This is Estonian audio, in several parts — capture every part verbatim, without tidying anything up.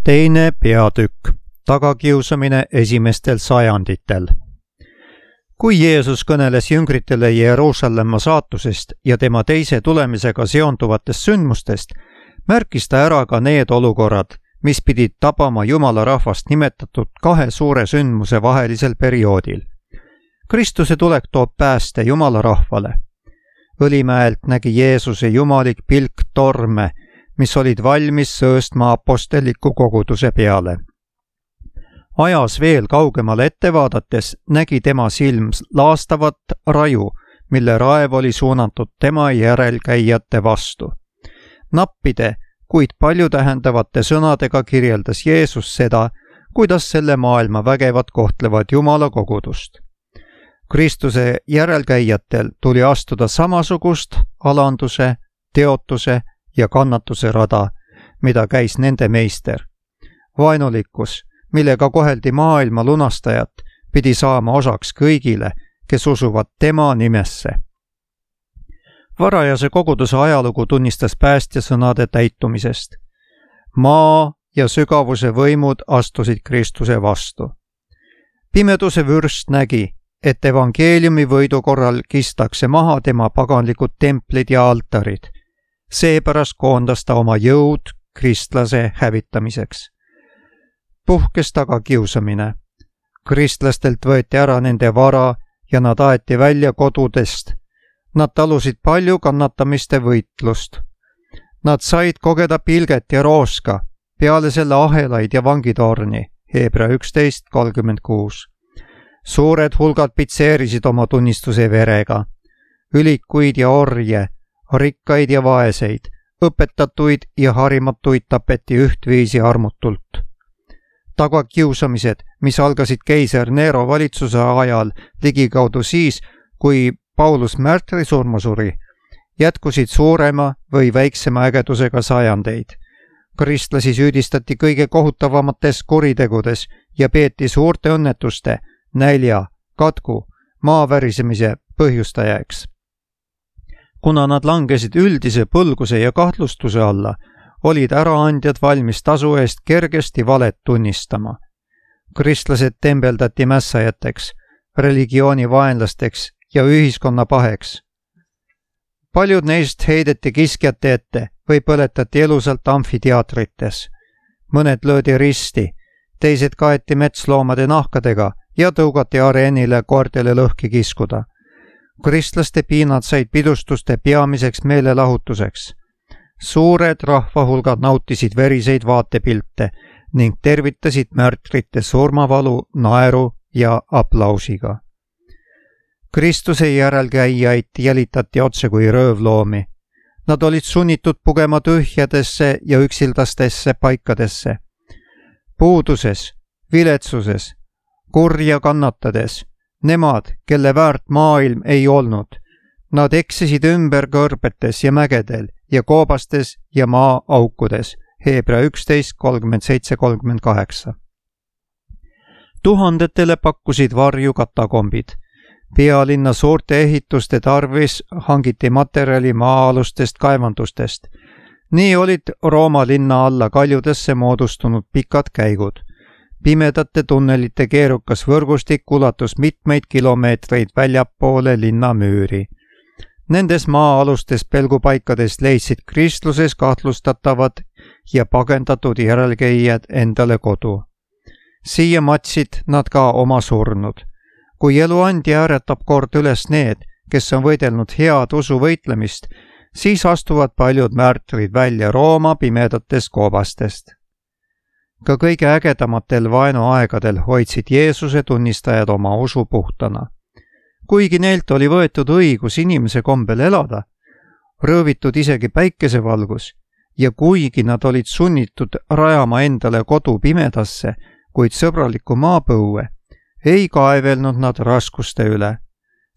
Teine peatükk. Tagakiusamine esimestel sajanditel. Kui Jeesus kõneles jüngritele Jeruusalemma saatusest ja tema teise tulemisega seonduvatest sündmustest, märkis ta ära ka need olukorrad, mis pidid tabama Jumala rahvast nimetatud kahe suure sündmuse vahelisel perioodil. Kristuse tulek toob pääste Jumala rahvale. Õlimäelt nägi Jeesuse jumalik pilk torme, mis olid valmis sööstma aposteliku koguduse peale. Ajas veel kaugemale ette vaadates nägi tema silm laastavat raju, mille raev oli suunatud tema järelkäijate vastu. Nappide, kuid paljutähendavate sõnadega kirjeldas Jeesus seda, kuidas selle maailma vägevad kohtlevad Jumala kogudust. Kristuse järelkäijatel tuli astuda samasugust alanduse, teotuse ja kannatuse rada, mida käis nende meister. Vaenulikkus, millega koheldi maailma lunastajat, pidi saama osaks kõigile, kes usuvad tema nimesse. Varajase koguduse ajalugu tunnistas päästja sõnade täitumisest. Maa ja sügavuse võimud astusid Kristuse vastu. Pimeduse vürst nägi, et evangeeliumi võidu korral kistakse maha tema paganlikud templid ja altarid. Seepärast koondas ta oma jõud kristlase hävitamiseks. Puhkes tagakiusamine. Kristlastelt võeti ära nende vara ja nad aeti välja kodudest. Nad talusid palju kannatamiste võitlust. Nad said kogeda pilget ja rooska, peale selle ahelaid ja vangitorni, Hebra üksteist kolmkümmend kuus. Suured hulgad pitseerisid oma tunnistuse verega. Ülikuid ja orje, rikkaid ja vaeseid, õpetatuid ja harimatuid tapeti ühtviisi armutult. Tagakiusamised, mis algasid keiser Nero valitsuse ajal ligikaudu siis, kui Paulus märtri surma suri, jätkusid suurema või väiksema ägedusega sajandeid. Kristlasi süüdistati kõige kohutavamates kuritegudes ja peeti suurte õnnetuste, nälja, katku, maavärisemise põhjustajaks. Kuna nad langesid üldise põlguse ja kahtlustuse alla, olid äraandjad valmis tasu eest kergesti valet tunnistama. Kristlased tembeldati mässajateks, religiooni vaenlasteks ja ühiskonna paheks. Paljud neist heideti kiskjate ette või põletati elusalt amfiteatrites. Mõned löödi risti, teised kaeti metsloomade nahkadega ja tõugati areenile koertele lõhki kiskuda. Kristlaste piinad said pidustuste peamiseks meelelahutuseks. Suured rahvahulgad nautisid veriseid vaatepilte ning tervitasid märtrite surmavalu naeru ja aplausiga. Kristuse järelkäijaid jälitati otse kui röövloomi. Nad olid sunnitud pugema tühjadesse ja üksildastesse paikadesse. Puuduses, viletsuses, kurja kannatades, nemad, kelle väärt maailm ei olnud, nad eksisid ümber kõrbetes ja mägedel ja koobastes ja maa-aukudes, Hebra üksteist kolmkümmend seitse kolmkümmend kaheksa. Tuhandetele pakkusid varju katakombid. Pealinna suurte ehituste tarvis hangiti materjali maa-alustest kaevandustest. Nii olid Rooma linna alla kaljudesse moodustunud pikad käigud. Pimedate tunnelite keerukas võrgustik ulatus mitmeid kilomeetreid väljapoole linna müüri. Nendes maa-alustes pelgupaikades leidsid kristluses kahtlustatavad ja pagendatud järelkäijad endale kodu. Siia matsid nad ka oma surnud. Kui eluandja ääretab kord üles need, kes on võidelnud head usu võitlemist, siis astuvad paljud märtrid välja Rooma pimedatest koobastest. Ka kõige ägedamatel vaenuaegadel hoidsid Jeesuse tunnistajad oma usu puhtana. Kuigi neilt oli võetud õigus inimese kombel elada, röövitud isegi päikesevalgus ja kuigi nad olid sunnitud rajama endale kodu pimedasse, kuid sõbralikku maapõue, ei kaevelnud nad raskuste üle.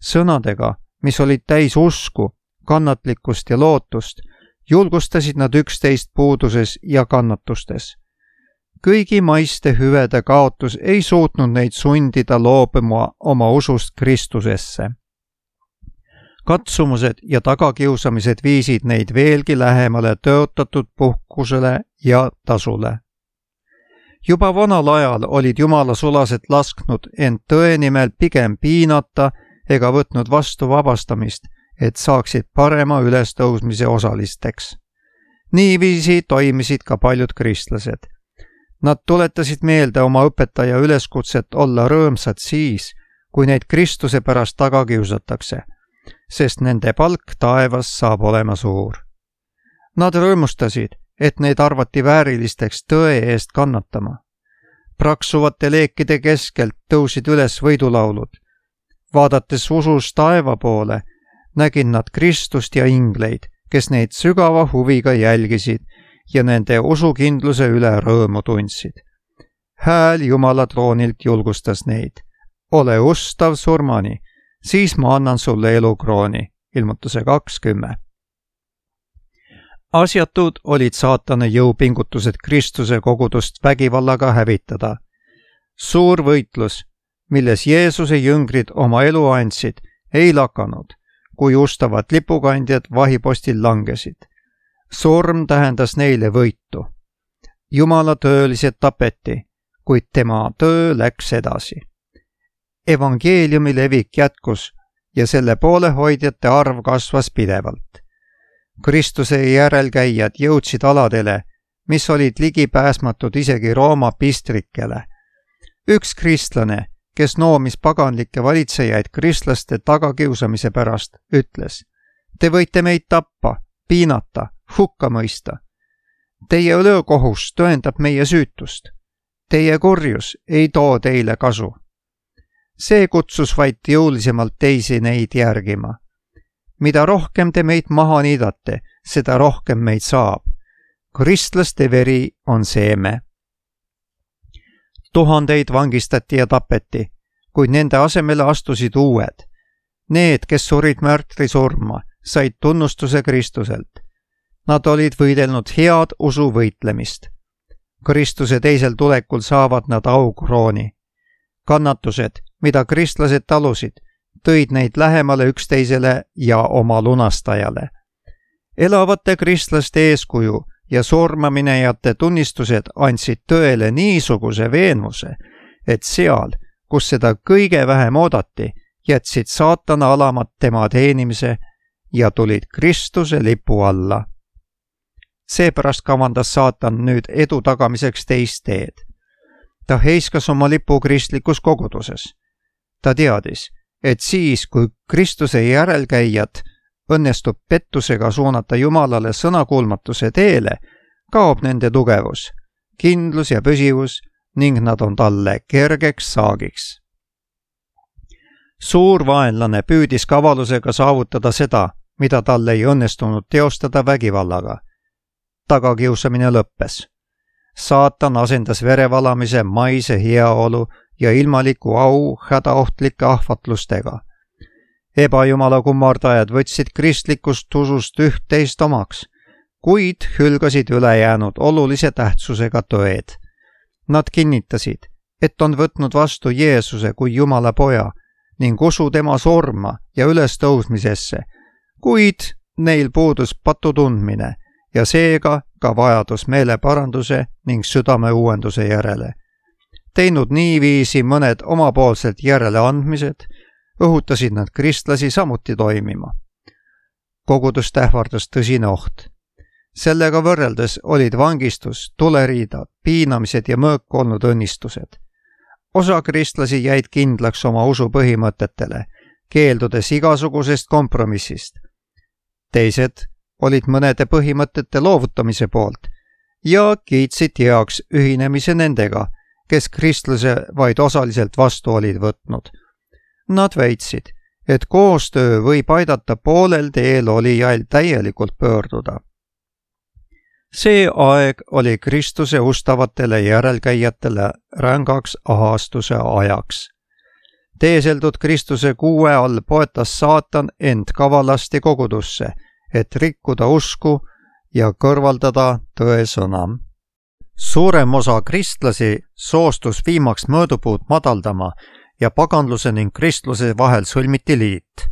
Sõnadega, mis olid täis usku, kannatlikkust ja lootust, julgustasid nad üksteist puuduses ja kannatustes. Kõigi maiste hüvede kaotus ei suutnud neid sundida loobuma oma usust Kristusesse. Katsumused ja tagakiusamised viisid neid veelgi lähemale tõotatud puhkusele ja tasule. Juba vanal ajal olid jumala sulased lasknud end tõe nimel pigem piinata ega võtnud vastu vabastamist, et saaksid parema ülestõusmise osalisteks. Niiviisi toimisid ka paljud kristlased. Nad tuletasid meelde oma õpetaja üleskutset olla rõõmsad siis, kui neid Kristuse pärast taga kiusatakse, sest nende palk taevas saab olema suur. Nad rõõmustasid, et neid arvati väärilisteks tõe eest kannatama. Praksuvate leekide keskelt tõusid üles võidulaulud. Vaadates usus taeva poole, nägid nad Kristust ja ingleid, kes neid sügava huviga jälgisid ja nende usukindluse üle rõõmu tundsid. Hääl Jumala troonilt julgustas neid. Ole ustav surmani, siis ma annan sulle elukrooni. Ilmutuse kakskümmend. Asjatud olid saatana jõupingutused Kristuse kogudust vägivallaga hävitada. Suur võitlus, milles Jeesuse jüngrid oma elu andsid, ei lakanud, kui ustavad lipukandjad vahipostil langesid. Surm tähendas neile võitu. Jumala töölised tapeti, kuid tema töö läks edasi. Evangeeliumi levik jätkus ja selle poolehoidjate arv kasvas pidevalt. Kristuse järelkäijad jõudsid aladele, mis olid ligipääsmatud isegi Rooma pistrikele. Üks kristlane, kes noomis paganlikke valitsejaid kristlaste tagakiusamise pärast, ütles: Te võite meid tappa, piinata, hukka mõista. Teie ülekohus tõendab meie süütust. Teie kurjus ei too teile kasu. See kutsus vaid jõulisemalt teisi neid järgima. Mida rohkem te meid maha niidate, seda rohkem meid saab. Kristlaste veri on seeme. Tuhandeid vangistati ja tapeti, kuid nende asemele astusid uued. Need, kes surid märtri surma, said tunnustuse Kristuselt. Nad olid võidelnud head usu võitlemist. Kristuse teisel tulekul saavad nad aukrooni. Kannatused, mida kristlased talusid, tõid neid lähemale üksteisele ja oma lunastajale. Elavate kristlaste eeskuju ja surmaminejate tunnistused andsid tõele niisuguse veenvuse, et seal, kus seda kõige vähem oodati, jätsid saatana alamad tema teenimise ja tulid Kristuse lipu alla. Seepärast kavandas saatan nüüd edu tagamiseks teist teed. Ta heiskas oma lipu kristlikus koguduses. Ta teadis, et siis, kui Kristuse järelkäijad õnnestub pettusega suunata Jumalale sõnakuulmatuse teele, kaob nende tugevus, kindlus ja püsivus ning nad on talle kergeks saagiks. Suur vaenlane püüdis kavalusega saavutada seda, mida talle ei õnnestunud teostada vägivallaga. Tagakiusamine lõppes. Saatan asendas verevalamise maise heaolu ja ilmaliku au hädaohtlike ahvatlustega. Ebajumala kummardajad võtsid kristlikust usust üht-teist omaks, kuid hülgasid ülejäänud olulise tähtsusega tõed. Nad kinnitasid, et on võtnud vastu Jeesuse kui Jumala poja ning usu tema surma ja ülestõusmisesse, kuid neil puudus patu tundmine ja seega ka vajadus meeleparanduse ning südame uuenduse järele. Teinud niiviisi mõned omapoolselt järeleandmised, õhutasid nad kristlasi samuti toimima. Kogudust ähvardas tõsine oht. Sellega võrreldes olid vangistus, tuleriidad, piinamised ja mõõk olnud õnnistused. Osa kristlasi jäid kindlaks oma usu põhimõtetele, keeldudes igasugusest kompromissist. Teised olid mõnede põhimõtete loovutamise poolt ja kiitsid heaks ühinemise nendega, kes kristluse vaid osaliselt vastu olid võtnud. Nad väitsid, et koostöö võib aidata poolel teel olijail täielikult pöörduda. See aeg oli Kristuse ustavatele järelkäijatele rängaks ahastuse ajaks. Teeseldud Kristuse kuue all poetas saatan end kavalasti kogudusse, et rikkuda usku ja kõrvaldada tõesõna. Suurem osa kristlasi soostus viimaks mõõdupuud madaldama ja paganluse ning kristluse vahel sõlmiti liit.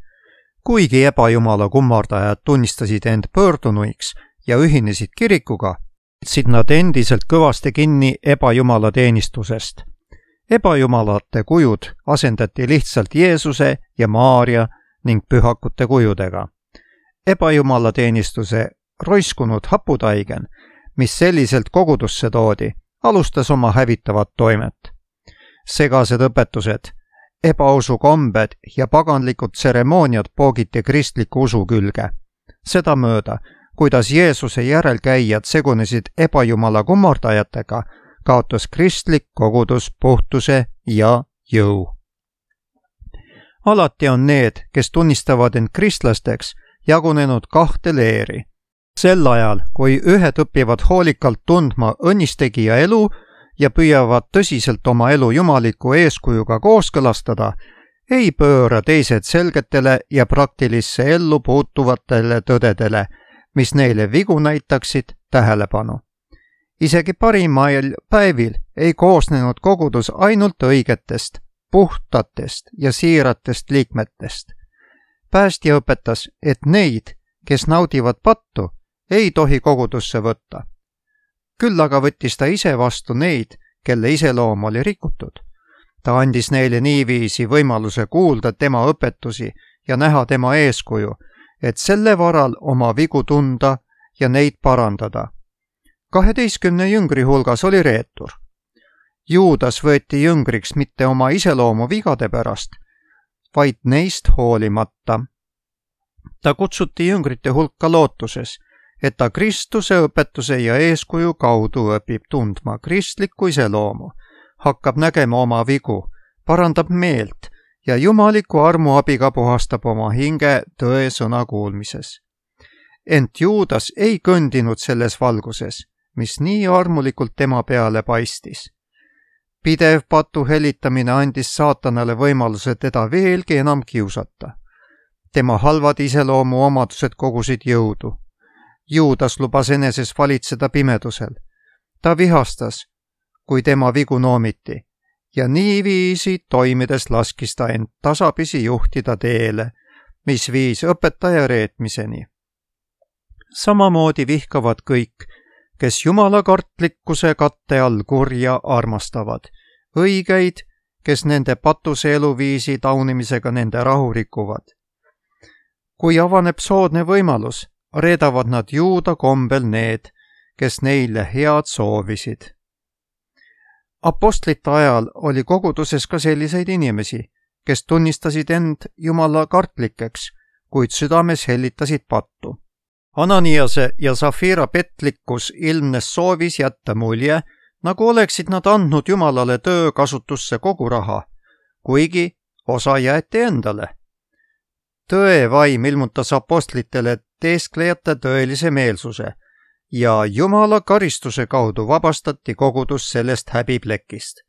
Kuigi ebajumala kummardajad tunnistasid end pöördunuiks ja ühinesid kirikuga, võtsid nad endiselt kõvasti kinni ebajumala teenistusest. Ebajumalate kujud asendati lihtsalt Jeesuse ja Maaria ning pühakute kujudega. Ebajumala teenistuse roiskunud haputaigen, mis selliselt kogudusse toodi, alustas oma hävitavat toimet. Segased õpetused, ebausu kombed ja paganlikud tseremooniad poogiti kristliku usu külge. Seda mööda, kuidas Jeesuse järelkäijad segunesid ebajumala kummardajatega, kaotas kristlik kogudus puhtuse ja jõu. Alati on need, kes tunnistavad end kristlasteks, jagunenud kahte leeri. Sel ajal, kui ühed õpivad hoolikalt tundma õnnistegija elu ja püüavad tõsiselt oma elu jumaliku eeskujuga kooskõlastada, ei pööra teised selgetele ja praktilisse ellu puutuvatele tõdedele, mis neile vigu näitaksid, tähelepanu. Isegi parimail päevil ei koosnenud kogudus ainult õigetest, puhtatest ja siiratest liikmetest. Päästja õpetas, et neid, kes naudivad pattu, ei tohi kogudusse võtta. Küll aga võttis ta ise vastu neid, kelle iseloom oli rikutud. Ta andis neile niiviisi võimaluse kuulda tema õpetusi ja näha tema eeskuju, et selle varal oma vigu tunda ja neid parandada. Kaheteistkümne jüngri hulgas oli reetur. Juudas võeti jüngriks mitte oma iseloomu vigade pärast, vaid neist hoolimata. Ta kutsuti jüngrite hulka lootuses, et ta Kristuse õpetuse ja eeskuju kaudu õpib tundma kristlikku iseloomu, hakkab nägema oma vigu, parandab meelt ja jumaliku armu abiga puhastab oma hinge tõe sõna kuulmises. Ent Juudas ei kõndinud selles valguses, mis nii armulikult tema peale paistis. Pidev patu helitamine andis saatanale võimaluse teda veelgi enam kiusata. Tema halvad iseloomu omadused kogusid jõudu. Juudas lubas eneses valitseda pimedusel. Ta vihastas, kui tema vigu noomiti, ja niiviisi toimides laskis ta end tasapisi juhtida teele, mis viis õpetaja reetmiseni. Samamoodi vihkavad kõik, kes jumala kartlikkuse katte all kurja armastavad, õigeid, kes nende patuse eluviisi taunimisega nende rahu rikuvad. Kui avaneb soodne võimalus, reedavad nad juuda kombel need, kes neile head soovisid. Apostlite ajal oli koguduses ka selliseid inimesi, kes tunnistasid end jumala kartlikeks, kuid südames hellitasid pattu. Ananiase ja Safira petlikkus ilmnes soovis jätta mulje, nagu oleksid nad andnud jumalale töö kasutusse kogu raha, kuigi osa jäeti endale. Tõe vaim ilmutas apostlitele teesklejate tõelise meelsuse ja jumala karistuse kaudu vabastati kogudus sellest häbiplekist.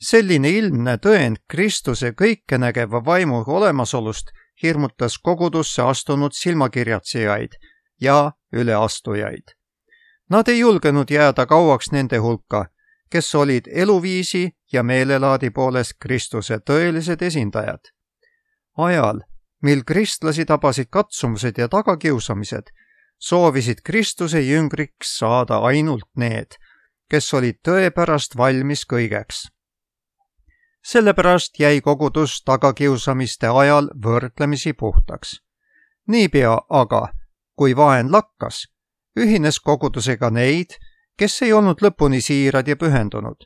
Selline ilmne tõend Kristuse kõikenägeva vaimu olemasolust hirmutas kogudusse astunud silmakirjatsejaid ja üleastujaid. Nad ei julgenud jääda kauaks nende hulka, kes olid eluviisi ja meelelaadi poolest Kristuse tõelised esindajad. Ajal, mil kristlasi tabasid katsumused ja tagakiusamised, soovisid Kristuse jüngriks saada ainult need, kes olid tõepärast valmis kõigeks. Sellepärast jäi kogudus tagakiusamiste ajal võrdlemisi puhtaks. Niipea aga, kui vaen lakkas, ühines kogudusega neid, kes ei olnud lõpuni siirad ja pühendunud.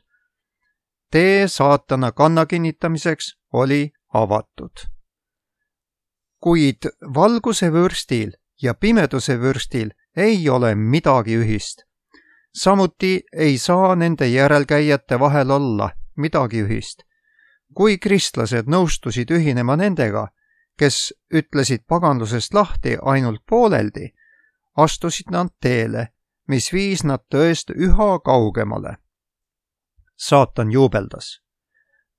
Tee saatana kanna kinnitamiseks oli avatud. Kuid valguse vürstil ja pimeduse vürstil ei ole midagi ühist. Samuti ei saa nende järelkäijate vahel olla midagi ühist. Kui kristlased nõustusid ühinema nendega, kes ütlesid paganlusest lahti ainult pooleldi, astusid nad teele, mis viis nad tõest üha kaugemale. Saatan juubeldas.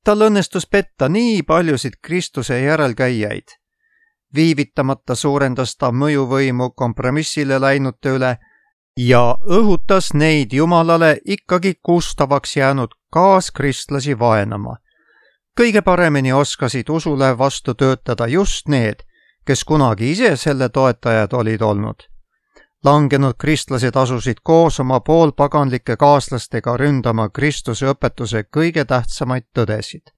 Tal õnnestus petta nii paljusid Kristuse järelkäijaid. Viivitamata suurendas ta mõjuvõimu kompromissile läinute üle ja õhutas neid jumalale ikkagi kustavaks jäänud kaaskristlasi vaenama. Kõige paremini oskasid usule vastu töötada just need, kes kunagi ise selle toetajad olid olnud. Langenud kristlased asusid koos oma poolpaganlike kaaslastega ründama Kristuse õpetuse kõige tähtsamaid tõdesid.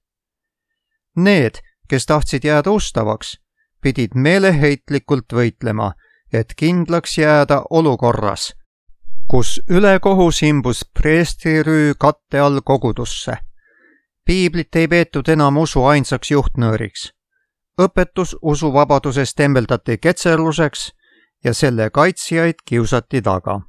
Need, kes tahtsid jääda ustavaks, pidid meeleheitlikult võitlema, et kindlaks jääda olukorras, kus ülekohus imbus preestrirüü katte all kogudusse. Piiblit ei peetud enam usu ainsaks juhtnööriks. Õpetus usuvabadusest tembeldati ketserluseks ja selle kaitsjaid kiusati taga.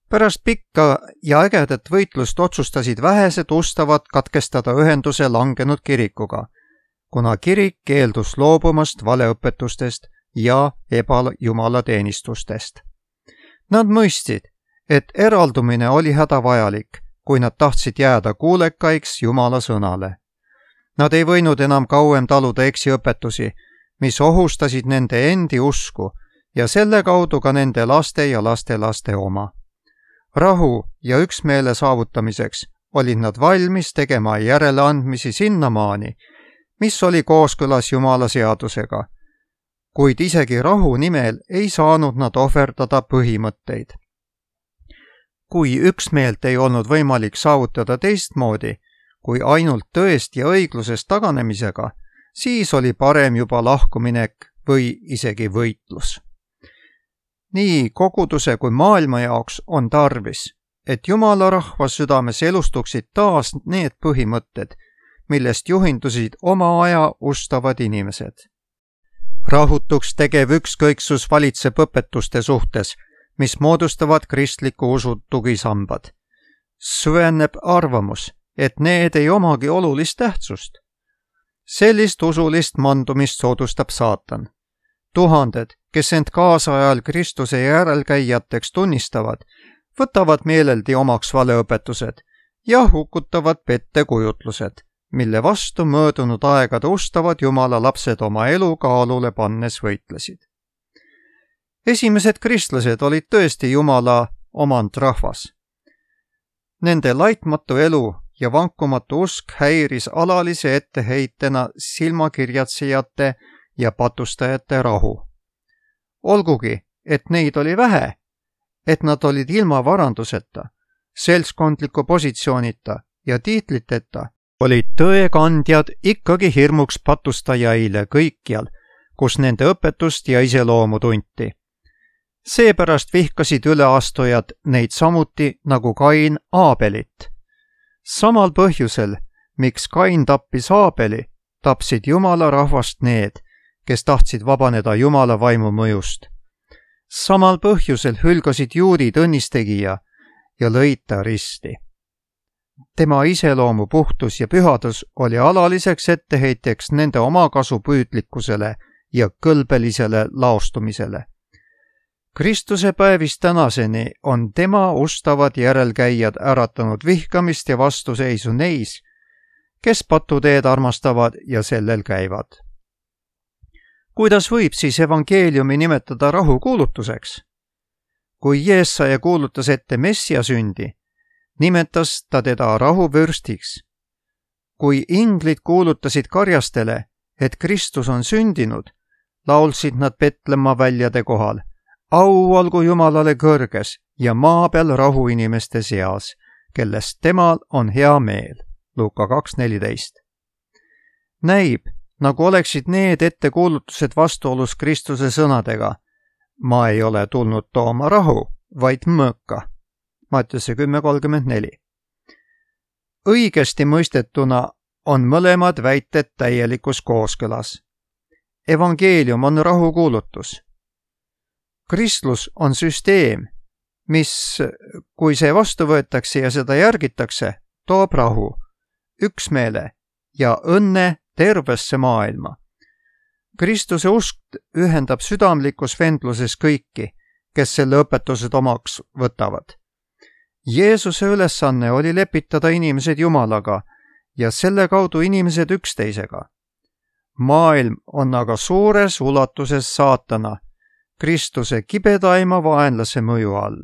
Pärast pikka ja ägedat võitlust otsustasid vähesed ustavad katkestada ühenduse langenud kirikuga, kuna kirik keeldus loobumast valeõpetustest ja ebajumalateenistustest. Nad mõistsid, et eraldumine oli hädavajalik, kui nad tahtsid jääda kuulekaiks Jumala sõnale. Nad ei võinud enam kauem taluda eksiõpetusi, mis ohustasid nende endi usku ja selle kaudu ka nende laste ja lastelaste oma. Rahu ja üksmeele saavutamiseks olid nad valmis tegema järeleandmisi sinnamaani, mis oli kooskõlas Jumala seadusega, kuid isegi rahu nimel ei saanud nad ohverdada põhimõtteid. Kui üksmeelt ei olnud võimalik saavutada teistmoodi, kui ainult tõest ja õiglusest taganemisega, siis oli parem juba lahkuminek või isegi võitlus. Nii koguduse kui maailma jaoks on tarvis, et Jumala rahva südames elustuksid taas need põhimõtted, millest juhindusid oma aja ustavad inimesed. Rahutuks tegev ükskõiksus valitseb õpetuste suhtes, mis moodustavad kristliku usu tugisambad. Süveneb arvamus, et need ei omagi olulist tähtsust. Sellist usulist mandumist soodustab saatan. Tuhanded, kes end kaasajal Kristuse järelkäijateks tunnistavad, võtavad meeleldi omaks valeõpetused ja hukutavad pettekujutlused, mille vastu möödunud aegade ustavad Jumala lapsed oma elu kaalule pannes võitlesid. Esimesed kristlased olid tõesti Jumala omand rahvas. Nende laitmatu elu ja vankumatu usk häiris alalise etteheitena silmakirjatsejate ja patustajate rahu. Olgugi, et neid oli vähe, et nad olid ilma varanduseta, seltskondliku positsioonita ja tiitliteta, olid tõekandjad ikkagi hirmuks patustajaile kõikjal, kus nende õpetust ja iseloomu tunti. Seepärast vihkasid üleastujad neid samuti nagu Kain Aabelit. Samal põhjusel, miks Kain tappis Aabeli, tapsid Jumala rahvast need, kes tahtsid vabaneda Jumala vaimu mõjust. Samal põhjusel hülgasid juudid õnnistegija ja lõid ta risti. Tema iseloomu puhtus ja pühadus oli alaliseks etteheiteks nende omakasu püüdlikkusele ja kõlbelisele laostumisele. Kristuse päevist tänaseni on tema ustavad järelkäijad äratanud vihkamist ja vastuseisu neis, kes patuteed armastavad ja sellel käivad. Kuidas võib siis evangeeliumi nimetada rahukuulutuseks? Kui Jeesaja kuulutas ette Messia sündi, nimetas ta teda rahuvürstiks. Kui inglid kuulutasid karjastele, et Kristus on sündinud, laulsid nad Petlemma väljade kohal: au olgu Jumalale kõrges ja maa peal rahu inimeste seas, kellest temal on hea meel. Luuka kaks neliteist. Näib, nagu oleksid need ettekuulutused vastuolus Kristuse sõnadega: ma ei ole tulnud tooma rahu, vaid mõõka. Mattiuse kümme kolmkümmend neli. Õigesti mõistetuna on mõlemad väited täielikus kooskõlas. Evangeelium on rahukuulutus. Kristlus on süsteem, mis, kui see vastu võetakse ja seda järgitakse, toob rahu, üksmeele ja õnne tervesse maailma. Kristuse usk ühendab südamlikus vendluses kõiki, kes selle õpetused omaks võtavad. Jeesuse ülesanne oli lepitada inimesed Jumalaga ja selle kaudu inimesed üksteisega. Maailm on aga suures ulatuses saatana, Kristuse kibedaima vaenlase mõju all.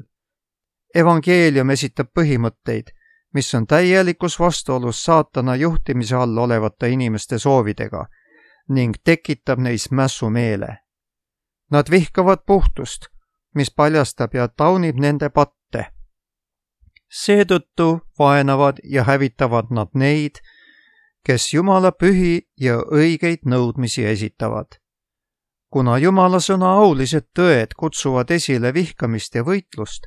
Evangeelium esitab põhimõtteid, mis on täielikus vastuolus saatana juhtimise all olevate inimeste soovidega ning tekitab neis mässumeele. Nad vihkavad puhtust, mis paljastab ja taunib nende patte. Seetõttu vaenavad ja hävitavad nad neid, kes Jumala pühi ja õigeid nõudmisi esitavad. Kuna Jumala sõna aulised tõed kutsuvad esile vihkamist ja võitlust,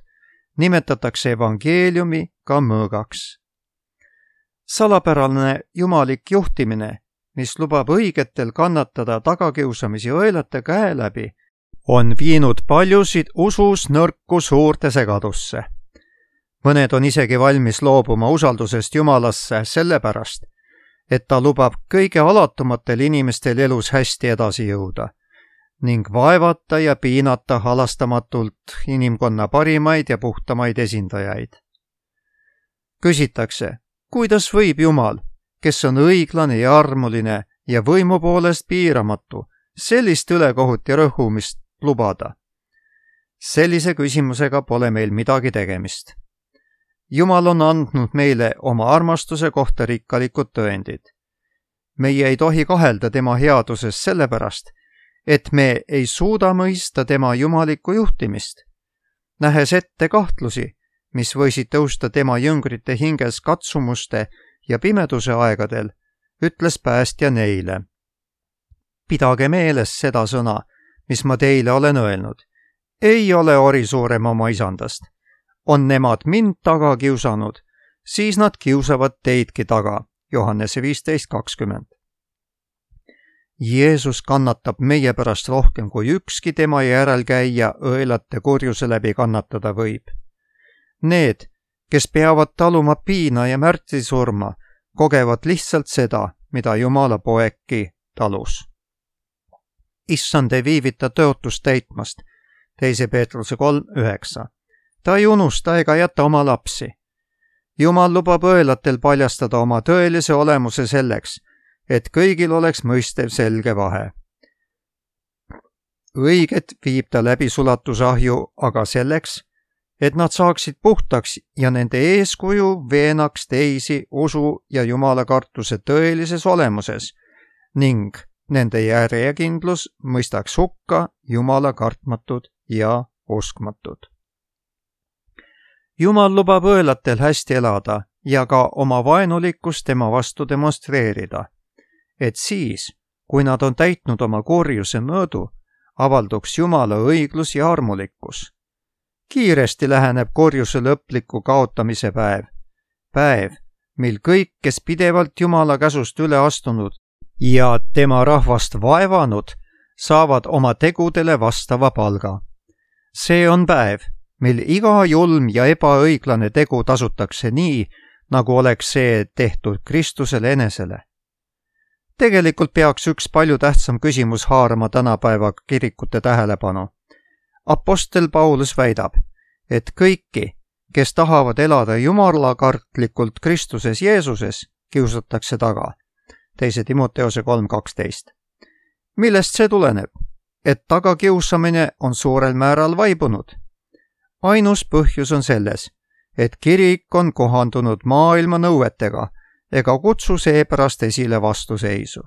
nimetatakse evangeeliumi ka mõõgaks. Salapärane jumalik juhtimine, mis lubab õigetel kannatada tagakiusamisi õelate käe läbi, on viinud paljusid usus nõrku suurde segadusse. Mõned on isegi valmis loobuma usaldusest Jumalasse sellepärast, et ta lubab kõige alatumatel inimestel elus hästi edasi jõuda ning vaevata ja piinata halastamatult inimkonna parimaid ja puhtamaid esindajaid. Küsitakse, kuidas võib Jumal, kes on õiglane ja armuline ja võimu poolest piiramatu, sellist ülekohut ja rõhumist lubada? Sellise küsimusega pole meil midagi tegemist. Jumal on andnud meile oma armastuse kohta rikkalikud tõendid. Meie ei tohi kahelda tema headuses sellepärast, et me ei suuda mõista tema jumalikku juhtimist. Nähes ette kahtlusi, mis võisid tõusta tema jüngrite hinges katsumuste ja pimeduse aegadel, ütles päästja neile. Pidage meeles seda sõna, mis ma teile olen öelnud. Ei ole ori suurem oma isandast. On nemad mind taga kiusanud, siis nad kiusavad teidki taga. Johannese viisteist kakskümmend. Jeesus kannatab meie pärast rohkem kui ükski tema järelkäija õelate kurjuse läbi kannatada võib. Need, kes peavad taluma piina ja märtrisurma, kogevad lihtsalt seda, mida Jumala poegki talus. Issand ei viivita tõotust täitmast, teise Peetruse kolm üheksa. Ta ei unusta ega jäta oma lapsi. Jumal lubab õelatel paljastada oma tõelise olemuse selleks, et kõigil oleks mõistev selge vahe. Õiget viib ta läbi sulatusahju aga selleks, et nad saaksid puhtaks ja nende eeskuju veenaks teisi usu ja Jumala kartuse tõelises olemuses ning nende järjekindlus mõistaks hukka Jumala kartmatud ja uskmatud. Jumal lubab õelatel hästi elada ja ka oma vaenulikkust tema vastu demonstreerida, et siis, kui nad on täitnud oma kurjuse mõõdu, avalduks Jumala õiglus ja armulikkus. Kiiresti läheneb kurjuse lõpliku kaotamise päev, päev, mil kõik, kes pidevalt Jumala käsust üle astunud ja tema rahvast vaevanud, saavad oma tegudele vastava palga. See on päev, mil iga julm ja ebaõiglane tegu tasutakse nii, nagu oleks see tehtud Kristusele enesele. Tegelikult peaks üks palju tähtsam küsimus haarama tänapäeva kirikute tähelepanu. Apostel Paulus väidab, et kõiki, kes tahavad elada jumalakartlikult Kristuses Jeesuses, kiusatakse taga. teise Timoteose kolm kaksteist. Millest see tuleneb? Et tagakiusamine on suurel määral vaibunud. Ainus põhjus on selles, et kirik on kohandunud maailma nõuetega ega kutsu seepärast esile vastuseisu.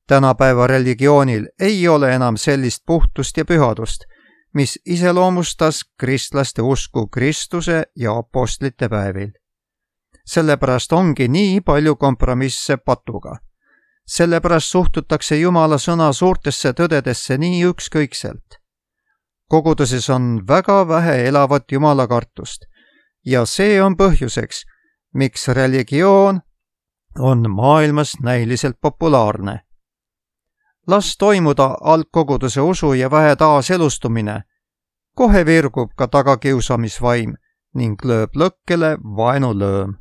Tänapäeva religioonil ei ole enam sellist puhtust ja pühadust, mis iseloomustas kristlaste usku Kristuse ja apostlite päevil. Sellepärast ongi nii palju kompromisse patuga. Sellepärast suhtutakse Jumala sõna suurtesse tõdedesse nii ükskõikselt. Koguduses on väga vähe elavat Jumala kartust ja see on põhjuseks, miks religioon on maailmas näiliselt populaarne. Las toimuda algkoguduse usu ja vähe taaselustumine, kohe virgub ka tagakiusamisvaim ning lööb lõkkele vaenulööm.